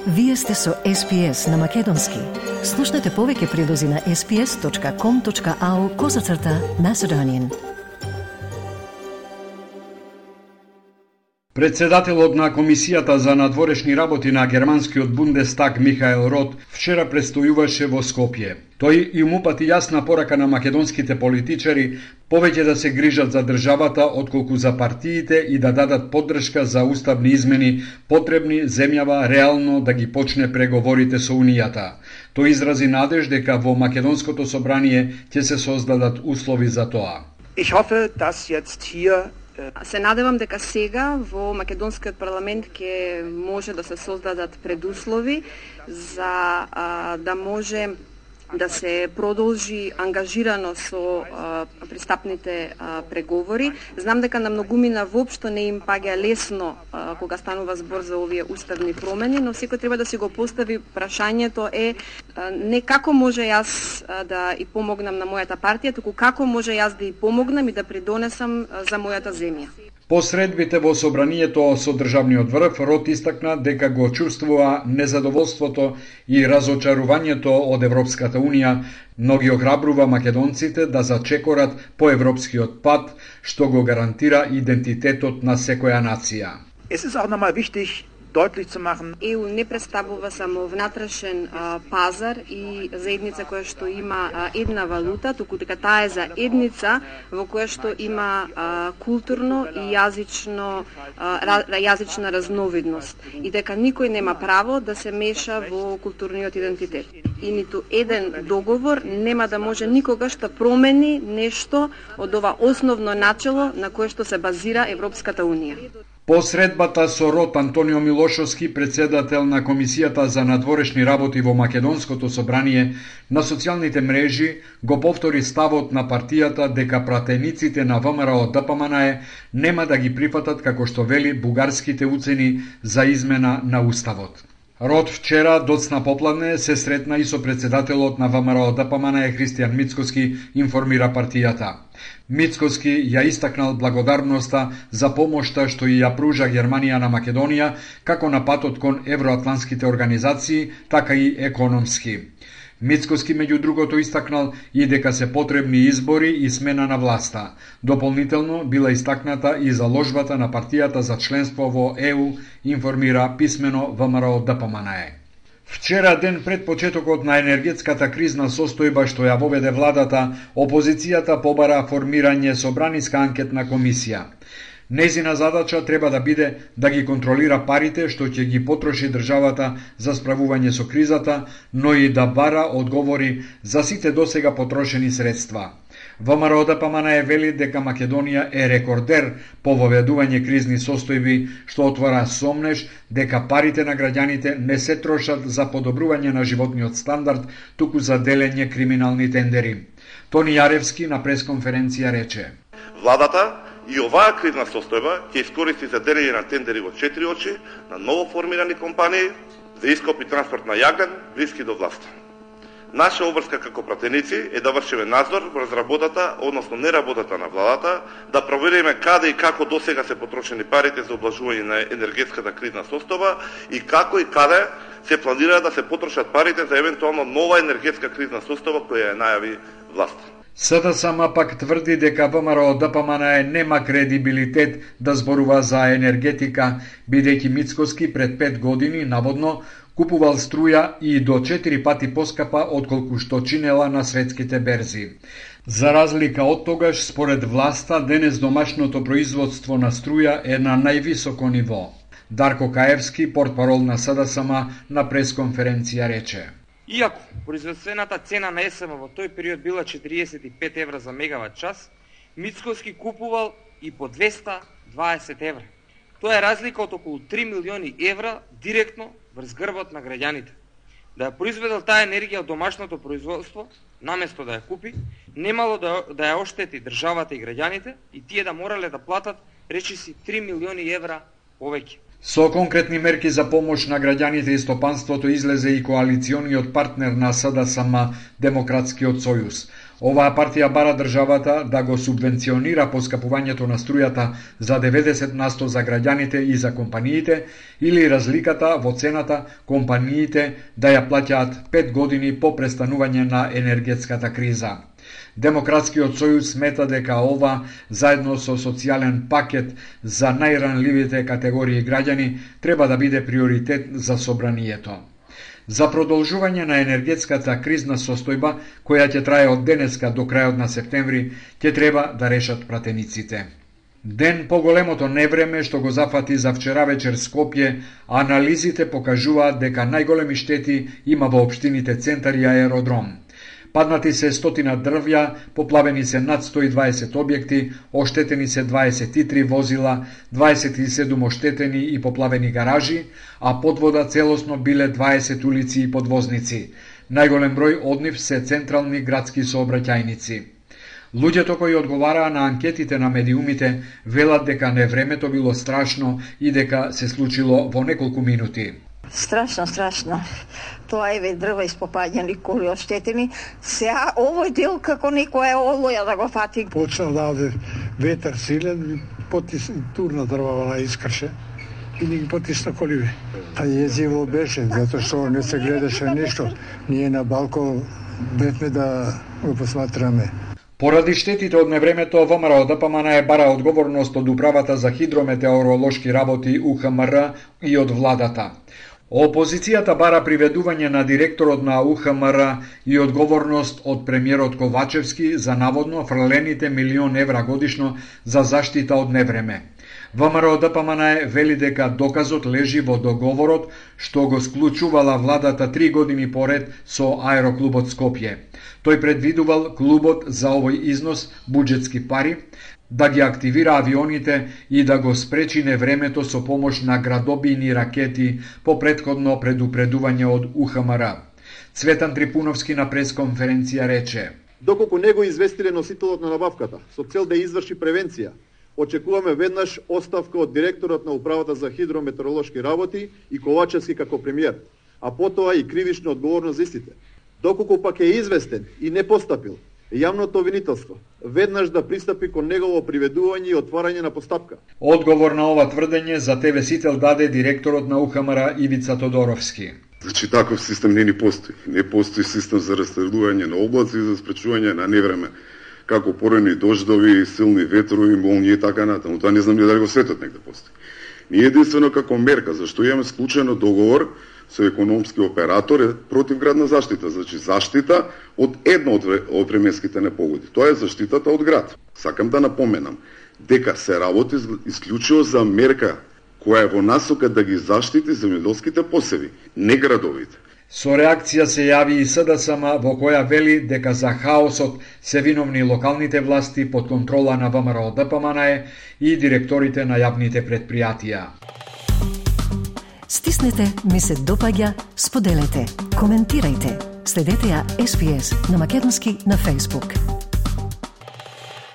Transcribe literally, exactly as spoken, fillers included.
Вие сте со Ес Пи Ес на Македонски. Слушнете повеќе прилози на ес пи ес точка ком точка ау козацрта Macedonian. Председателот на Комисијата за надворешни работи на германскиот Бундестаг Михаел Рот вчера престојуваше во Скопје. Тој им упати јасна порака на македонските политичари повеќе да се грижат за државата отколку за партиите и да дадат поддршка за уставни измени потребни земјава реално да ги почне преговорите со Унијата. Тој изрази надеж дека во македонското собрание ќе се создадат услови за тоа. Ich hoffe, dass jetzt hier Се надевам дека сега во македонскиот парламент ќе може да се создадат предуслови за а, да може да се продолжи ангажирано со а, пристапните а, преговори. Знам дека на многумина воопшто не им паѓа лесно а, кога станува збор за овие уставни промени, но секој треба да си го постави прашањето е а, не како може јас а, да и помогнам на мојата партија, туку како може јас да и помогнам и да придонесам а, за мојата земја. По средбите во собранието со државниот врв, Рот истакна дека го чувствува незадоволството и разочарувањето од Европската Унија, но ги охрабрува македонците да зачекорат по европскиот пат, што го гарантира идентитетот на секоја нација. Es ist auch nochmal wichtig, deutlich zu machen. Е У не представува само внатрешен а, пазар и заедница која што има а, една валута, туку дека таа е заедница во која што има а, културно и јазично а, јазична разновидност и дека никој нема право да се меша во културниот идентитет. И ниту еден договор нема да може никогаш да промени нешто од ова основно начело на кое што се базира Европската Унија. По средбата со Рот, Антонио Милошовски, председател на Комисијата за надворешни работи во Македонското собрание, на социјалните мрежи го повтори ставот на партијата дека пратениците на ВМРО Д П М Н Е нема да ги прифатат како што вели бугарските уцени за измена на уставот. Рот вчера доцна попладне се сретна и со председателот на ВМРО Д П М Н Е Христијан Мицкоски, информира партијата. Мицкоски ја истакнал благодарноста за помошта што ја пружа Германија на Македонија, како на патот кон евроатлантските организации, така и економски. Мицкоски меѓу другото истакнал и дека се потребни избори и смена на власта. Дополнително била истакната и заложбата на партијата за членство во Е У, информира писмено ВМРО Д П М Н Е. Вчера, ден пред почетокот на енергетската кризна состојба што ја воведе владата, опозицијата побара формирање собраниска анкетна комисија. Незина задача треба да биде да ги контролира парите што ќе ги потроши државата за справување со кризата, но и да бара одговори за сите досега потрошени средства. ВМРО Д П М Н Е вели дека Македонија е рекордер по воведување кризни состојби, што отвора сомнеж дека парите на граѓаните не се трошат за подобрување на животниот стандард, туку за делење криминални тендери. Тони Јаревски на пресконференција рече: Владата и оваа кризна состојба ќе искористи за делење на тендери во четири очи на ново формирани компании за ископ и транспорт на јаглен блиски до власта. Наша обврска како пратеници е да вршиме надзор врз работата, односно неработата на владата, да провериме каде и како досега се потрошени парите за облажување на енергетската кризна состојба и како и каде се планира да се потрошат парите за евентуално нова енергетска кризна состојба која ја најави власта. С Д С М пак тврди дека ВМРО Д П М Н Е нема кредибилитет да зборува за енергетика, бидејќи Мицкоски пред пет години наводно купувал струја и до четири пати поскапа отколку што чинела на светските берзи. За разлика од тогаш, според власта, денес домашното производство на струја е на највисоко ниво. Дарко Каевски, портпарол на С Д С М, на пресконференција рече: Иако производствената цена на Е С М во тој период била четириесет и пет евра за мегават час, Мицкоски купувал и по двеста дваесет евра. Тоа е разлика од околу три милиони евра директно врз грбот на граѓаните. Да ја произведел таа енергија од домашното производство, наместо да ја купи, немало да, да ја оштети државата и граѓаните и тие да морале да платат речиси три милиони евра повеќе. Со конкретни мерки за помош на граѓаните и стопанството излезе и коалициониот партнер на С Д С М, Демократскиот сојуз. Оваа партија бара државата да го субвенционира поскапувањето на струјата за деветдесет на сто за граѓаните и за компаниите, или разликата во цената компаниите да ја плаќаат пет години по престанување на енергетската криза. Демократскиот сојуз смета дека ова, заедно со социјален пакет за најранливите категории граѓани, треба да биде приоритет за собранието. За продолжување на енергетската кризна состојба, која ќе трае од денеска до крајот на септември, ќе треба да решат пратениците. Ден по големото невреме што го зафати за вчера вечер Скопје, анализите покажуваат дека најголеми штети има во општините Центар и Аеродром. Паднати се стотина дрвја, поплавени се над сто и дваесет објекти, оштетени се дваесет и три возила, дваесет и седум оштетени и поплавени гаражи, а под вода целосно биле дваесет улици и подвозници. Најголем број од нив се централни градски сообраќајници. Луѓето кои одговараа на анкетите на медиумите велат дека невремето било страшно и дека се случило во неколку минути. Страшно, страшно. Тоа еве дрва испопаѓани, коли оштетени. Сега овој дел како некоја олоја да го фати. Почна да оде ветер силен, потис турна дрва на искрше и ни ги потисна коливи. Та језиво беше, затоа што не се гледаше ништо. Ние на балкон бевме да го посматраме. Поради штетите од невремето, ВМРО-ДПМН е бара одговорност од Управата за хидрометеоролошки работи У Х М Р и од владата. Опозицијата бара приведување на директорот на У Х М Р и одговорност од премиерот Ковачевски за наводно фрлените милион евра годишно за заштита од невреме. ВМРО-ДПМН вели дека доказот лежи во договорот што го склучувала владата три години поред со Аероклубот Скопје. Тој предвидувал клубот за овој износ буџетски пари да ги активира авионите и да го спречи невремето со помош на градобийни ракети по претходно предупредување од У Х М Р. Цветан Трипуновски на пресконференција рече: Доколку не го известиле носителот на набавката со цел да изврши превенција, очекуваме веднаш оставка од директорот на Управата за хидрометеоролошки работи и Ковачевски како премиер, а потоа и кривична одговорност за истите. Доколку пак е известен и не постапил, јавното обвинителство веднаш да пристапи кон негово приведување и отварање на постапка. Одговор на ова тврдење за Те В Сител даде директорот на У Х М Р Ивица Тодоровски. Значи таков систем не ни постои. Не постои систем за растредување на облаци и за спречување на невреме, како порани дождови, силни ветрови, молњи и така натаму. Тоа не знам ни дали во светот негде постои. Ние единствено како мерка, зашто имаме склучено договор со економски оператор е противградна заштита, значи заштита од една од временските непогоди. Тоа е заштитата од град. Сакам да напоменам дека се работи исклучиво за мерка која е во насока да ги заштити земјоделските посеви, не градовите. Со реакција се јави и С Д С М во која вели дека за хаосот се виновни локалните власти под контрола на ВМРО-ДПМН и директорите на јавните предпријатија. Стиснете, ми се допаѓа, споделете, коментирајте. Следете ја С П С на македонски на Facebook.